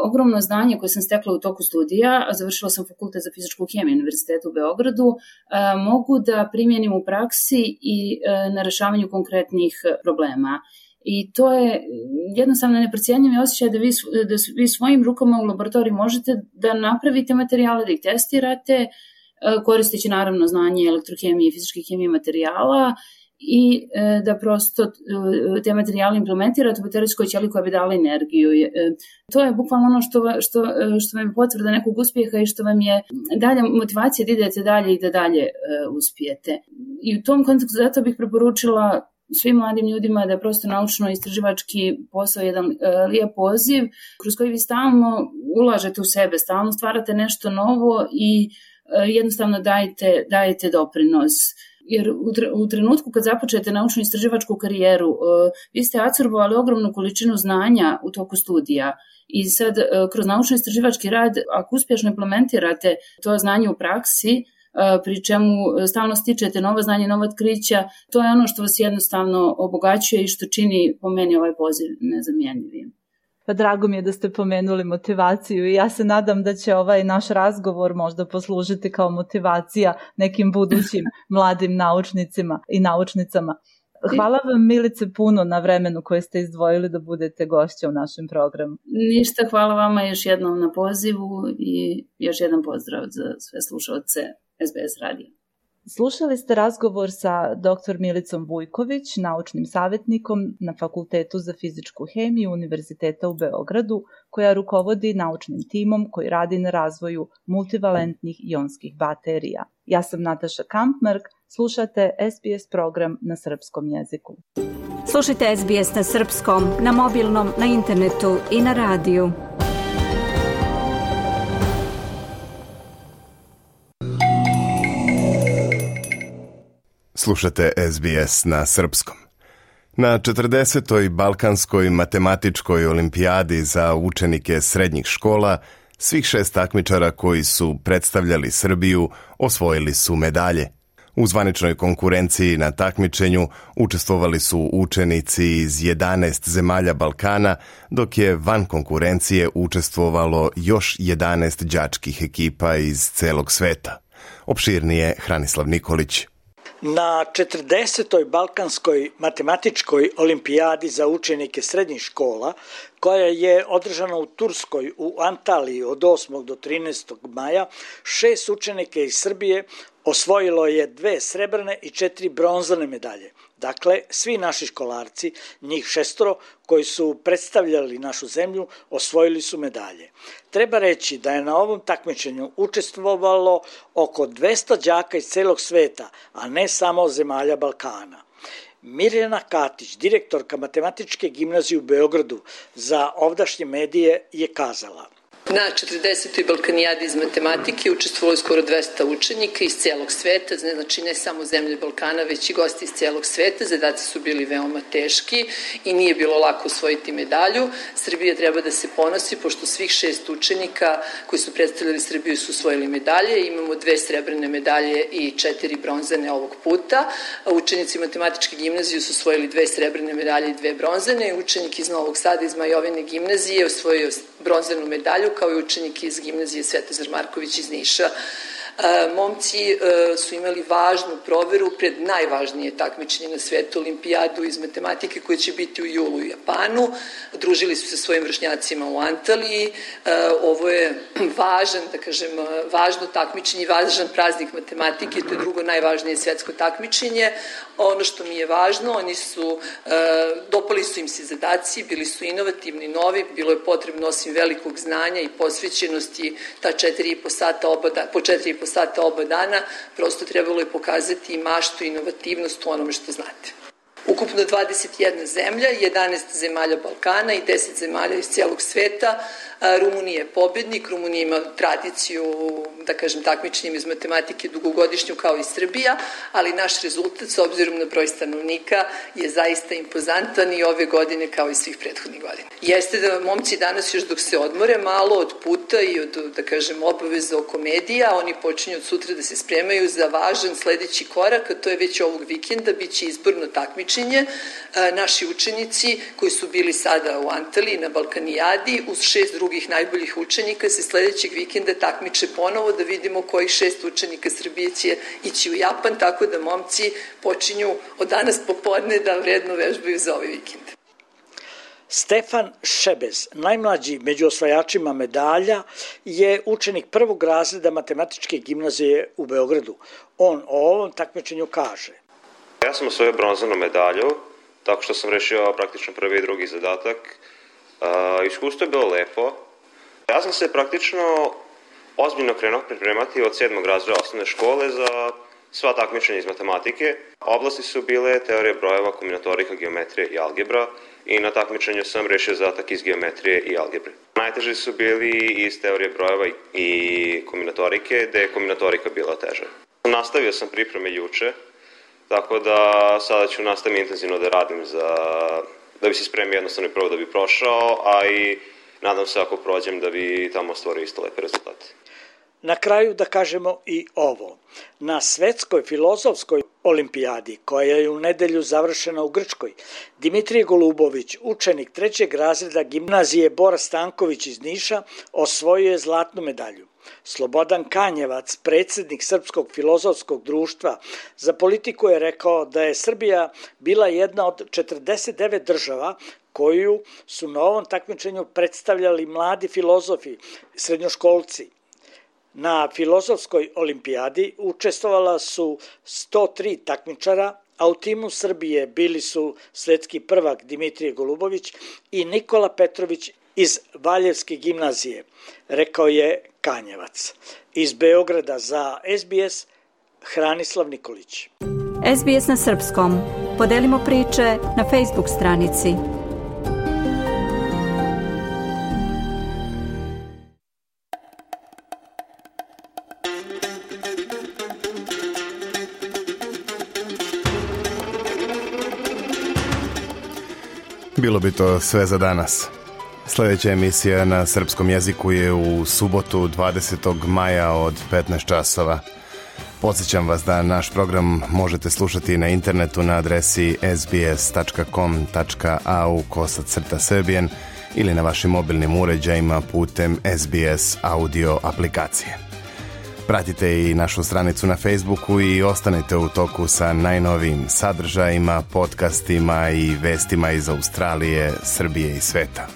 ogromno znanje koje sam stekla u toku studija, a završila sam fakultet za fizičku hemiju Univerzitetu u Beogradu, mogu da primjenim u praksi i na rešavanju konkretnih problema. I to je jednostavno neprocijenjivi osjećaj da vi svojim rukama u laboratoriji možete da napravite materijale, da ih testirate, koristeći naravno znanje elektrohemije i fizičke hemije materijala, i da prosto te materijale implementirate u baterijskoj ćeliji koja bi dala energiju. To je bukvalno ono što vam je potvrda nekog uspjeha i što vam je dalja motivacija da idete dalje i da dalje uspijete. I u tom kontekstu zato bih preporučila svim mladim ljudima da je prosto naučno-istraživački posao jedan lijep poziv kroz koji vi stalno ulažete u sebe, stalno stvarate nešto novo i jednostavno dajete doprinos. Jer u trenutku kad započete naučno-istraživačku karijeru, vi ste apsorbovali ogromnu količinu znanja u toku studija i sad kroz naučno-istraživački rad, ako uspješno implementirate to znanje u praksi, pri čemu stalno stičete nova znanja, nova otkrića, to je ono što vas jednostavno obogaćuje i što čini po meni ovaj poziv nezamjenjivim. Pa drago mi je da ste pomenuli motivaciju i ja se nadam da će ovaj naš razgovor možda poslužiti kao motivacija nekim budućim mladim naučnicima i naučnicama. Hvala vam, Milice, puno na vremenu koje ste izdvojili da budete gošća u našem programu. Ništa, hvala vama još jednom na pozivu i još jedan pozdrav za sve slušalce SBS radija. Slušali ste razgovor sa dr. Milicom Vujković, naučnim savjetnikom na Fakultetu za fizičku hemiju Univerziteta u Beogradu, koja rukovodi naučnim timom koji radi na razvoju multivalentnih ionskih baterija. Ja sam Nataša Kampmark, slušate SBS program na srpskom jeziku. Slušajte SBS na srpskom, na mobilnom, na internetu i na radiju. Slušate SBS na srpskom. Na 40. Balkanskoj matematičkoj olimpijadi za učenike srednjih škola, svih 6 takmičara koji su predstavljali Srbiju osvojili su medalje. U zvaničnoj konkurenciji na takmičenju učestvovali su učenici iz 11 zemalja Balkana, dok je van konkurencije učestvovalo još 11 đačkih ekipa iz celog sveta. Opširnije Hranislav Nikolić. Na 40. Balkanskoj matematičkoj olimpijadi za učenike srednjih škola, koja je održana u Turskoj u Antaliji od 8. do 13. maja, 6 učenika iz Srbije osvojilo je 2 srebrne i 4 bronzane medalje. Dakle, svi naši školarci, njih 6 koji su predstavljali našu zemlju, osvojili su medalje. Treba reći da je na ovom takmičenju učestvovalo oko 200 đaka iz celog sveta, a ne samo zemalja Balkana. Mirjana Katić, direktorka Matematičke gimnazije u Beogradu, za ovdašnje medije je kazala: Na 40. Balkanijadi iz matematike učestvovalo skoro 200 učenika iz celog sveta, znači ne samo zemlje Balkana, već i gosti iz celog sveta. Zadaci su bili veoma teški i nije bilo lako osvojiti medalju. Srbija treba da se ponosi, pošto svih 6 učenika koji su predstavljali Srbiju su osvojili medalje. Imamo 2 srebrne medalje i 4 bronzane ovog puta. Učenici Matematičke gimnazije su osvojili 2 srebrne medalje i 2 bronzane. Učenik iz Novog Sada iz Majovine gimnazije osvojio bronzanu medalju, kao i učenik iz gimnazije Svetozar Marković iz Niša. Momci su imali važnu proveru pred najvažnije takmičenje na svetu, olimpijadu iz matematike koja će biti u julu u Japanu. Družili su se svojim vršnjacima u Antaliji. Ovo je važno takmičenje i važan praznik matematike, to je drugo najvažnije svetsko takmičenje. Ono što mi je važno, dopali su im se zadaci, bili su inovativni, novi, bilo je potrebno osim velikog znanja i posvećenosti po 4,5 sata oba dana, prosto trebalo je pokazati i maštu i inovativnost u onome što znate. Ukupno 21 zemlja, 11 zemalja Balkana i 10 zemalja iz cijelog sveta. Rumunija je pobednik, Rumunija ima tradiciju, takmičenjem iz matematike dugogodišnju kao i Srbija, ali naš rezultat s obzirom na broj stanovnika je zaista impozantan i ove godine kao i svih prethodnih godina. Jeste da momci danas još dok se odmore malo od puta i od, obaveza oko medija, oni počinju od sutra da se spremaju za važan sledeći korak, a to je već ovog vikenda, bit će izborno takmičenje. Naši učenici koji su bili sada u Antaliji na Balkanijadi uz 6 drugih najboljih učenika se sledećeg vikenda takmiče ponovo da vidimo kojih 6 učenika Srbije će ići u Japan, tako da momci počinju od danas popodne da vredno vežbaju za ovaj vikend. Stefan Šebez, najmlađi među osvajačima medalja, je učenik 1. razreda Matematičke gimnazije u Beogradu. On o ovom takmičenju kaže: Ja sam osvojio bronzanu medalju, tako što sam rešio praktično prvi i drugi zadatak. Iskustvo je bilo lepo. Ja sam se praktično ozbiljno krenuo pripremati od 7. razreda osnovne škole za sva takmičenja iz matematike. Oblasti su bile teorija brojeva, kombinatorika, geometrija i algebra i na takmičenju sam rešio zadatak iz geometrije i algebre. Najteži su bili iz teorije brojeva i kombinatorike, gde je kombinatorika bila teža. Nastavio sam pripreme juče, tako da sada ću nastaviti intenzivno da radim da bi se spremio jednostavno i prvo da bi prošao, a i nadam se ako prođem da bi tamo stvorio isto lepe rezultate. Na kraju da kažemo i ovo. Na Svetskoj filozofskoj olimpijadi, koja je u nedelju završena u Grčkoj, Dimitrije Golubović, učenik 3. razreda gimnazije Bora Stanković iz Niša, osvojio je zlatnu medalju. Slobodan Kanjevac, predsjednik Srpskog filozofskog društva za politiku, je rekao da je Srbija bila jedna od 49 država koju su na ovom takmičenju predstavljali mladi filozofi, srednjoškolci. Na Filozofskoj olimpijadi učestvovala su 103 takmičara, a u timu Srbije bili su svetski prvak Dimitrije Golubović i Nikola Petrović iz Valjevske gimnazije, rekao je Kanjevac. Iz Beograda za SBS, Hranislav Nikolić. SBS na srpskom. Podelimo priče na Facebook stranici. Bilo bi to sve za danas. Sljedeća emisija na srpskom jeziku je u subotu 20. maja od 15 časova. Podsjećam vas da naš program možete slušati na internetu na adresi sbs.com.au/serbian ili na vašim mobilnim uređajima putem SBS audio aplikacije. Pratite i našu stranicu na Facebooku i ostanite u toku sa najnovijim sadržajima, podcastima i vestima iz Australije, Srbije i sveta.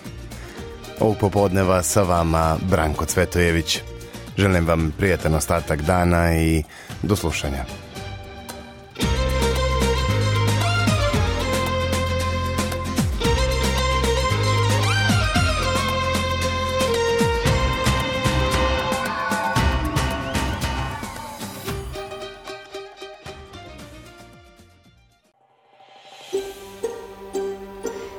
Ovog popodneva sa vama Branko Cvetojević. Želim vam prijatan ostatak dana i do slušanja.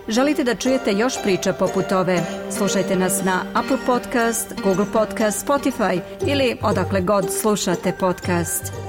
Želite da čujete još priča poput ove? Slušajte nas na Apple Podcast, Google Podcast, Spotify ili odakle god slušate podcast.